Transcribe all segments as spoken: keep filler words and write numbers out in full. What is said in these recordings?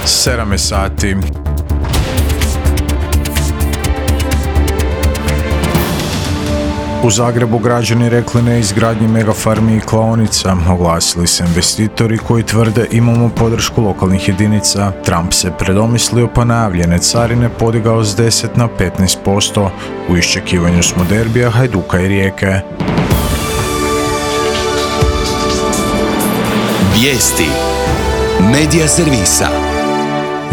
sedam je sati. U Zagrebu građani rekli ne izgradnji megafarmi i klaonica. Oglasili se investitori koji tvrde imamo podršku lokalnih jedinica. Trump se predomislio pa najavljene carine podigao s deset na petnaest posto. U iščekivanju smo derbija Hajduka i Rijeke. Vijesti Medija servisa.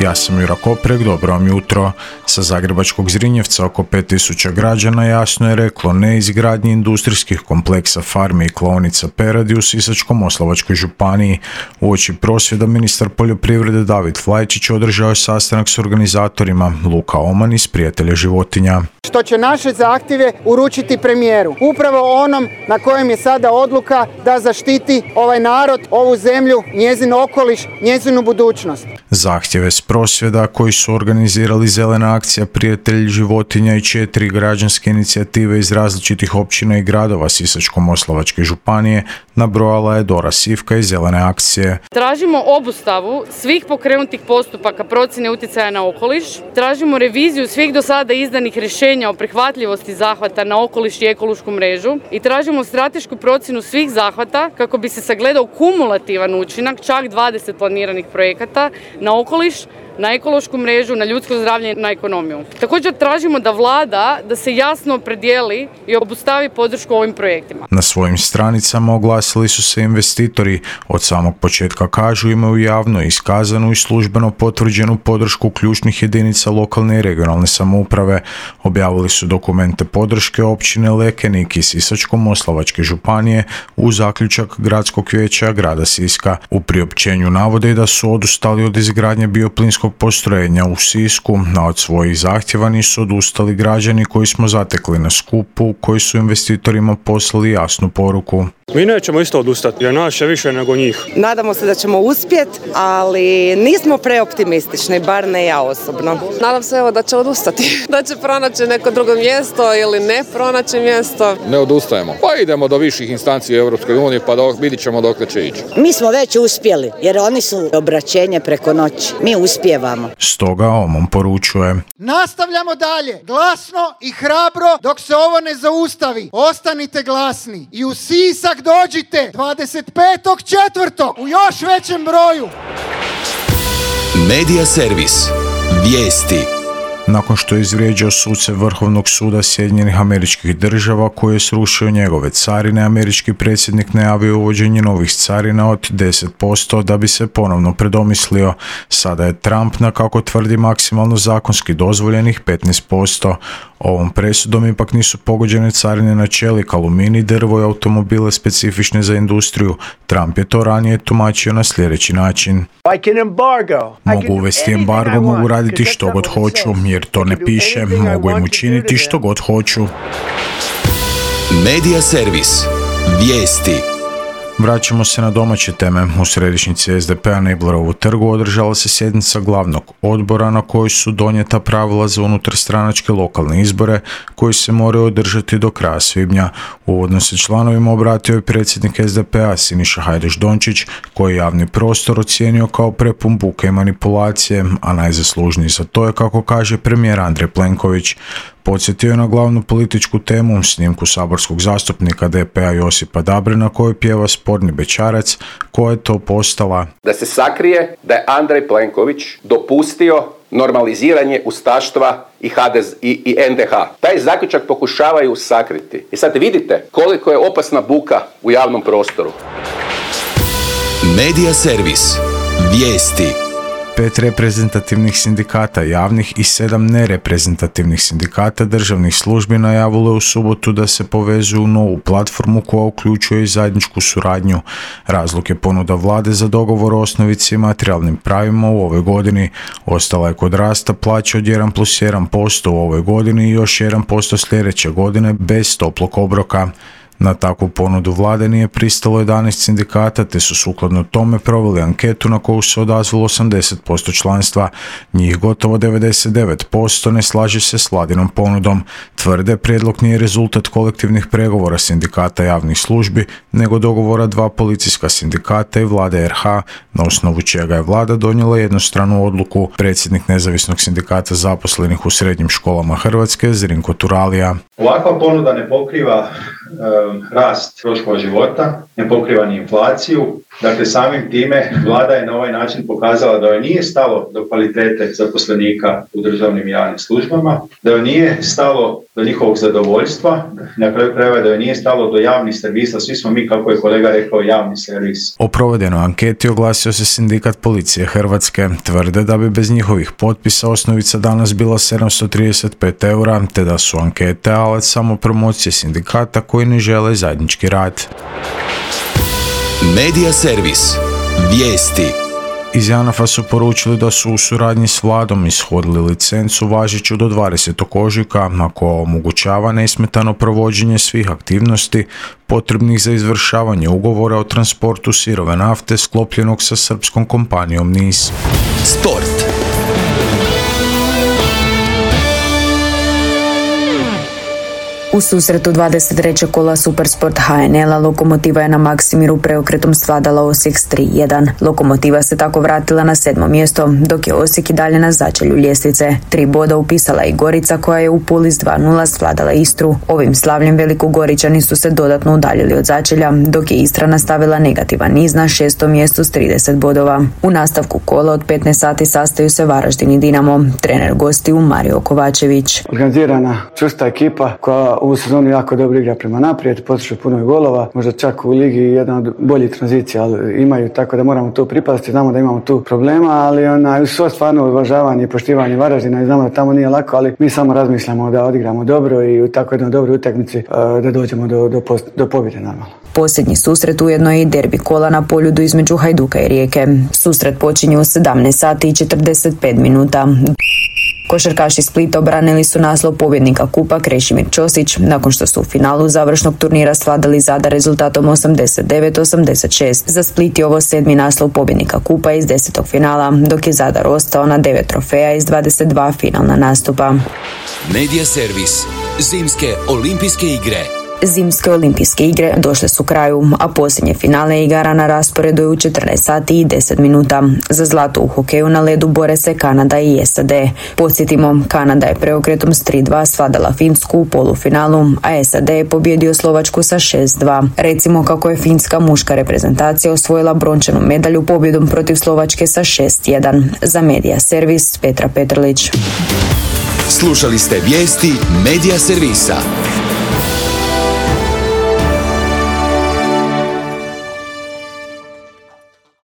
Ja sam Jura Koprek, dobro vam jutro. Sa zagrebačkog Zrinjevca oko pet tisuća građana jasno je reklo ne izgradnji industrijskih kompleksa farmi i klaonica peradi u Sisačko-moslavačkoj županiji. Uoči prosvjeda ministar poljoprivrede David Flajčić održao je sastanak s organizatorima Luka Oman iz Prijatelja životinja. Što će naše zahtjeve uručiti premijeru. Upravo onom na kojem je sada odluka da zaštiti ovaj narod, ovu zemlju, njezin okoliš, njezinu budućnost. Zahtjeve s prosvjeda koji su organizirali Zelena akcija Prijatelj životinja i četiri građanske inicijative iz različitih općina i gradova Sisačko-moslavačke županije nabrojala je Dora Sivka iz Zelene akcije. Tražimo obustavu svih pokrenutih postupaka procjene utjecaja na okoliš, tražimo reviziju svih do sada izdanih rješenja o prihvatljivosti zahvata na okoliš i ekološku mrežu i tražimo stratešku procjenu svih zahvata kako bi se sagledao kumulativan učinak čak dvadeset planiranih projekata na okoliš, na ekološku mrežu, na ljudsko zdravlje i na ekonomiju. Također tražimo da vlada da se jasno opredijeli i obustavi podršku ovim projektima. Na svojim stranicama oglasili su se investitori. Od samog početka kažu imaju javno iskazanu i službeno potvrđenu podršku ključnih jedinica lokalne i regionalne samouprave. Objavili su dokumente podrške općine Lekenik i Sisačko-moslavačke županije u zaključak gradskog vijeća grada Siska. U priopćenju navode da su odustali od izgradnje bioplinskog postrojenja u Sisku, a od svojih zahtjeva nisu odustali građani koji smo zatekli na skupu, koji su investitorima poslali jasnu poruku. Mi nećemo isto odustati, jer naše više nego njih. Nadamo se da ćemo uspjeti, ali nismo preoptimistični, bar ne ja osobno. Nadam se evo da će odustati, da će pronaći neko drugo mjesto ili ne pronaći mjesto. Ne odustajemo, pa idemo do viših instanci u Europskoj uniji pa dok, vidit ćemo dokle će ići. Mi smo već uspjeli, jer oni su obraćenje preko noći. Mi uspijevamo. Stoga Omon poručuje. Nastavljamo dalje, glasno i hrabro dok se ovo ne zaustavi. Ostanite glasni i u Sisak dođite dvadeset petog četvrtog u još većem broju. Medija servis. Vijesti. Nakon što je izvrijeđao suce Vrhovnog suda Sjedinjenih Američkih Država koji je srušio njegove carine, američki predsjednik najavio uvođenje novih carina od deset posto da bi se ponovno predomislio. Sada je Trump na, kako tvrdi, maksimalno zakonski dozvoljenih petnaest posto. Ovom presudom ipak nisu pogođene carine na čelik, aluminij, drvo i automobile specifične za industriju. Trump je to ranije tumačio na sljedeći način. Mogu uvesti embargo, mogu raditi što god hoću, jer to ne piše, mogu im učiniti što god hoću. Medija servis. Vijesti. Vraćamo se na domaće teme. U središnjici es de pe-a na Iblerovu trgu održala se sjednica glavnog odbora na kojoj su donijeta pravila za unutarstranačke lokalne izbore koji se moraju održati do kraja svibnja. Uvodno se članovima obratio i predsjednik es de pe-a Siniša Hajdaš Dončić koji je javni prostor ocijenio kao prepun buke i manipulacije, a najzaslužniji za to je, kako kaže premijer Andrej Plenković. Podsjetio je na glavnu političku temu, snimku saborskog zastupnika de pe-a Josipa Dabrena koji pjeva Sporni bećarac, koja je to postala. Da se sakrije da je Andrej Plenković dopustio normaliziranje ustaštva i, ha de ze, i, i en de ha. Taj zaključak pokušavaju sakriti. I sad vidite koliko je opasna buka u javnom prostoru. Medija servis. Vijesti. Pet reprezentativnih sindikata javnih i sedam nereprezentativnih sindikata državnih službi najavilo je u subotu da se povezuju u novu platformu koja uključuje i zajedničku suradnju. Razlog je ponuda vlade za dogovor o osnovici i materijalnim pravima u ovoj godini. Ostala je kod rasta plaće od jedan plus jedan posto u ovoj godini i još jedan posto sljedeće godine bez toplog obroka. Na takvu ponudu vlade nije pristalo jedanaest sindikata, te su sukladno tome proveli anketu na koju se odazvalo osamdeset posto članstva. Njih gotovo devedeset devet posto ne slaže se s vladinom ponudom. Tvrde, prijedlog nije rezultat kolektivnih pregovora sindikata javnih službi, nego dogovora dva policijska sindikata i vlade er ha, na osnovu čega je vlada donijela jednostranu odluku. Predsjednik nezavisnog sindikata zaposlenih u srednjim školama Hrvatske, Zrinko Turalija. Ovakva ponuda ne pokriva um, rast troškova života, ne pokriva ni inflaciju. Dakle, samim time vlada je na ovaj način pokazala da joj nije stalo do kvalitete zaposlenika u državnim i javnim službama, da joj nije stalo do njihovog zadovoljstva, na kraju krajeva da joj nije stalo do javnih servisa. Svi smo mi, kako je kolega rekao, javni servis. O provedenoj anketi oglasio se sindikat policije Hrvatske. Tvrde da bi bez njihovih potpisa osnovica danas bila sedamsto trideset pet eura, te da su ankete alat samo promocije sindikata koji ne žele zajednički rad. Medija servis. Vijesti. Iz JANAF-a su poručili da su u suradnji s vladom ishodili licencu važeću do dvadesetog ožujka, a koja omogućava nesmetano provođenje svih aktivnosti potrebnih za izvršavanje ugovora o transportu sirove nafte sklopljenog sa srpskom kompanijom NIS. Sport. U susretu dvadeset trećeg kola Supersport ha en el-a Lokomotiva je na Maksimiru preokretom svladala Osijek s tri jedan. Lokomotiva se tako vratila na sedmo mjesto, dok je Osijek i dalje na začelju ljestvice. Tri boda upisala i Gorica, koja je u Puli s dva nula svladala Istru. Ovim slavljem Velikogoričani su se dodatno udaljili od začelja, dok je Istra nastavila negativan niz na šestom mjestu s trideset bodova. U nastavku kola od petnaest sati sastaju se Varaždin i Dinamo. Trener gostiju Mario Kovačević. Organizirana, čvrsta ekipa koja u sezoni jako dobro igra prema naprijed, postiže puno golova, možda čak u ligi jedna od boljih tranzicija, ali imaju, tako da moramo to pripaziti, znamo da imamo tu problema, ali ona, svo stvarno uvažavanje i poštivanje Varaždina i znamo da tamo nije lako, ali mi samo razmišljamo da odigramo dobro i u tako jednoj dobroj utakmici da dođemo do, do, post, do pobjede normalno. Posljednji susret ujedno je i derbi kola na Poljudu između Hajduka i Rijeke. Susret počinje u sedamnaest sati i četrdeset pet minuta. Košarkaši Splita obranili su naslov pobjednika kupa Krešimir Ćosić, nakon što su u finalu završnog turnira svladali Zadar rezultatom osamdeset devet osamdeset šest. Za Split je ovo sedmi naslov pobjednika kupa iz desetog finala, dok je Zadar ostao na devet trofeja iz dvadeset dva finalna nastupa. Medija servis. Zimske olimpijske igre. Zimske olimpijske igre došle su kraju, a posljednje finale igara na rasporedu je u četrnaest sati i deset minuta. Za zlato u hokeju na ledu bore se Kanada i es a de. Podsjetimo, Kanada je preokretom s tri dva svladala Finsku u polufinalu, a es a de je pobjedio Slovačku sa šest dva. Recimo kako je finska muška reprezentacija osvojila brončanu medalju pobjedom protiv Slovačke sa šest jedan. Za Medija servis Petra Petrlić. Slušali ste vijesti Medija servisa.